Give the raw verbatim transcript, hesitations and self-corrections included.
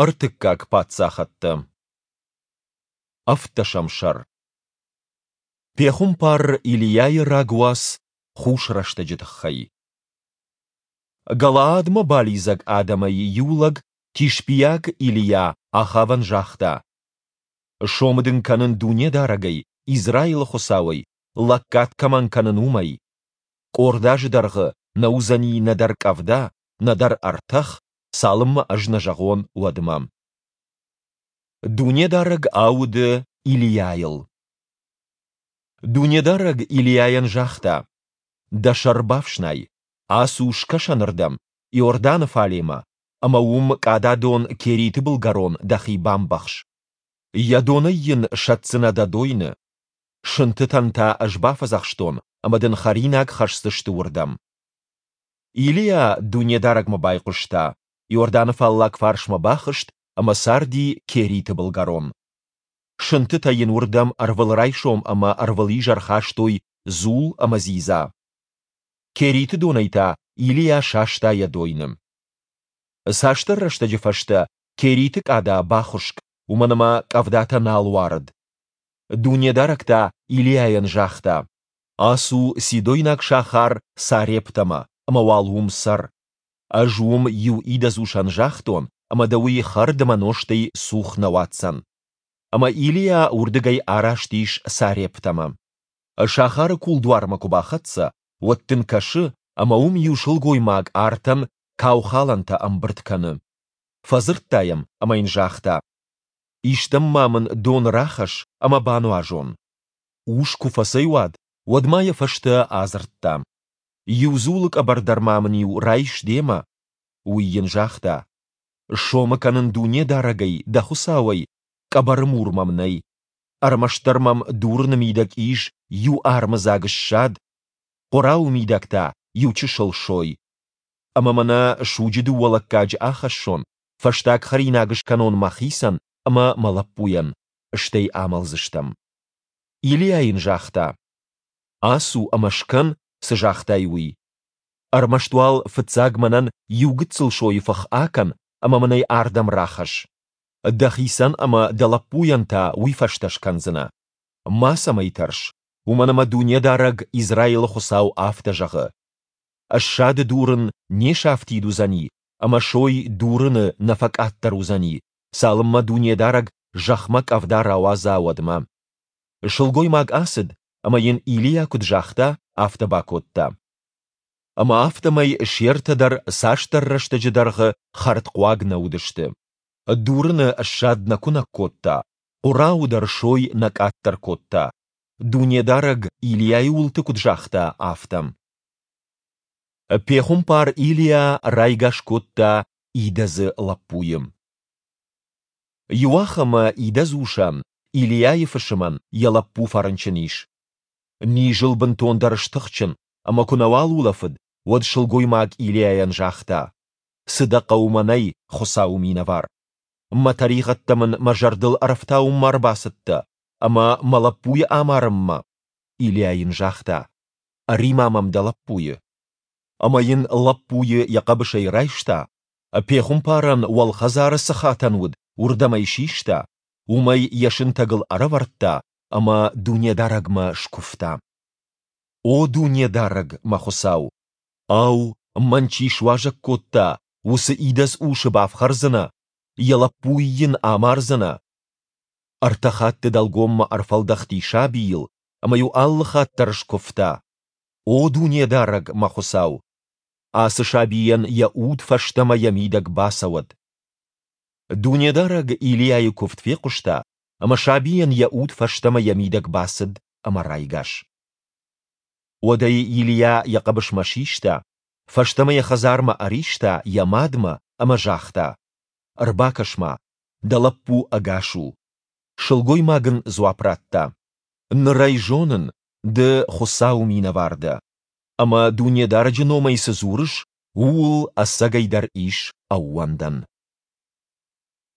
Ӕртыккаг паддзахӕдтӕ. Ӕвддӕсӕм сӕр. Пехуымпар Илийайы рагуац хус рӕстӕджы тыххӕй. Галаадмӕ балидзӕг адӕмӕй иу лӕг, тишбиаг Илийа, Ахавӕн загъта: «Сомы дын кӕнын Дунедарӕгӕй, Израилы Хуыцауӕй, лӕггад кӕмӕн кӕнын, уымӕй: къорд азы дӕргъы нӕ уыдзӕни нӕдӕр къӕвда, нӕдӕр ӕртӕх, цалынмӕ ӕз нӕ зӕгъон, уӕдмӕ». Дунедарӕг ауды Илийайыл. Дунедарӕг Илийайӕн загъта: «Дӕ сӕр бафснай, ацу скӕсӕнырдӕм, Иорданы фалемӕ, ӕмӕ уым къададон Кериты былгӕрон дӕхи бамбӕхс. Йӕ донӕй йын сӕтдзынӕ дӕ дойны. Сынтытӕн та ӕз бафӕдзӕхстон, ӕмӕ дын хӕринаг хӕсдзысты уырдӕм». Илийа Дунедарӕгмӕ байхъуыста, Иорданы фаллаг фарсмӕ бахызт ӕмӕ царди Кериты былгӕрон. Сынтытӕ йын уырдӕм ӕрвылрайсом ӕмӕ ӕрвылизӕр хастой дзул ӕмӕ дзидза. Кериты донӕй та Илийа саста йӕ дойны. Цасдӕр рӕстӕджы фӕстӕ Кериты къада бахуыскъ, уымӕн ӕмӕ къӕвдатӕ нал уарыд. Дунедарӕг та Илийайӕн загъта: «Ацу сидойнаг сахар Сарептӕмӕ ӕмӕ уал уым цӕр. Ӕз уым иу идӕдз усӕн загътон, ӕмӕ дӕ уый хӕрд ӕмӕ нозтӕй цух нӕ уадздзӕн». Ӕмӕ Илийа уырдыгӕй араст ис Сарептӕмӕ. Сахары кулдуармӕ куы бахӕццӕ, уӕд дын кӕсы, ӕмӕ уым иу сылгоймаг артӕн каухалӕнтӕ ӕмбырд кӕны. Фӕдзырдта йӕм ӕмӕ йын загъта: «Истӕм ма мын дон рахӕсс ӕмӕ бануазон». Ус куы фӕцӕйуад, уӕд ма йӕ фӕстӕ адзырдта: «Иу дзулы къӕбӕр дӕр ма мын-иу райс демӕ». Уый йын загъта: «Сомы кӕнын Дунедарӕгӕй, дӕ Хуыцауӕй, къӕбӕры мур мӕм нӕй. Ӕрмӕстдӕр мӕм дурыны мидӕг ис иу армыдзаг ссад, хъуырауы мидӕг та иу чысыл сой. Ӕмӕ мӕнӕ суджы дыууӕ лӕггаджы ахӕссон, фӕстаг хӕринаг скӕнон мӕхицӕн ӕмӕ мӕ лӕппуйӕн, стӕй амӕлдзыстӕм». Илийа йын загъта: «Ацу ӕмӕ скӕн, цы загътай, уый. Ӕрмӕст уал фыццаг мӕнӕн иу гыццыл сойы фых акӕн ӕмӕ мын ӕй ардӕм рахӕсс. Дӕхицӕн ӕмӕ дӕ лӕппуйӕн та уый фӕстӕ скӕндзынӕ. Мацӕмӕй тӕрс, уымӕн ӕмӕ Дунедарӕг, Израилы Хуыцау, афтӕ зӕгъы: Ссады дурын не сафтид уыдзӕни ӕмӕ сой дурыны нӕ фӕкъаддӕр уыдзӕни, цалынмӕ Дунедарӕг зӕхмӕ къӕвда рауадза, уӕдмӕ». Сылгоймаг ацыд, ӕмӕ йын Илийа куыд загъта, афтӕ бакодта. Ӕмӕ афтӕмӕй се ртӕ дӕр цасдӕр рӕстӕджы дӕргъы хӕрдхъуаг нӕ уыдысты. Дурыны ссад нӕ куынӕг кодта, хъуырауы дӕр сой нӕ къаддӕр кодта, Дунедарӕг Илийайы уылты куыд загъта, афтӕ. Пехуымпар Илийа райгас кодта идӕдзы лӕппуйы. Иуахӕмы идӕдз усӕн, Илийайы фысымӕн, йӕ лӕппу фӕрынчын ис. Низ ыл бынтондӕр стыхджын, ӕмӕ куы нӕуал улӕфыд, уӕд сылгоймаг Илийайӕн загъта: «Цы дӕ хъӕуы мӕнӕй, Хуыцауы минӕвар? Мӕ тӕригъӕдтӕ мын мӕ зӕрдыл ӕрӕфтауынмӕ ӕрбацыдтӕ ӕмӕ мӕ лӕппуйы амарынмӕ?» Илийа йын загъта: «Ӕри-ма мӕм дӕ лӕппуйы». Ӕмӕ йын лӕппуйы йӕ хъӕбысӕй райста, пехуымпарӕн уӕлхӕдзары цы хатӕн уыд, уырдӕм ӕй систа, уым ӕй йӕ сынтӕгыл ӕрӕвӕрдта ӕмӕ Дунедарӕгмӕ скуывта: «О Дунедарӕг, мӕ Хуыцау! Ау, мӕн чи суазӕг кодта, уыцы идӕдз усы бафхӕрдзынӕ, йӕ лӕппуйы йын амардзынӕ?» Ӕртӕ хатты дӕлгоммӕ ӕрфӕлдӕхти сабийыл ӕмӕ-иу алы хатт дӕр скуывта: «О Дунедарӕг, мӕ Хуыцау! Ацы сабийӕн йӕ уд фӕстӕмӕ йӕ мидӕг бацӕуӕд!» Дунедарӕг Илийайы куывд фехъуыста, ӕмӕ сабийӕн йӕ уд фӕстӕмӕ йӕ мидӕг бацыд ӕмӕ райгас. Уӕд ӕй Илийа йӕ хъӕбысмӕ систа, фӕстӕмӕ йӕ хӕдзармӕ ӕриста йӕ мадмӕ ӕмӕ загъта: «Ӕрбакӕс-ма, дӕ лӕппу ӕгас у». Сылгоймаг ын дзуапп радта: «Ныр ӕй зонын, ды Хуыцауы минӕвар дӕ, ӕмӕ Дунедарӕджы номӕй цы дзурыс, ууыл ӕцӕгӕйдӕр ис ӕууӕндӕн».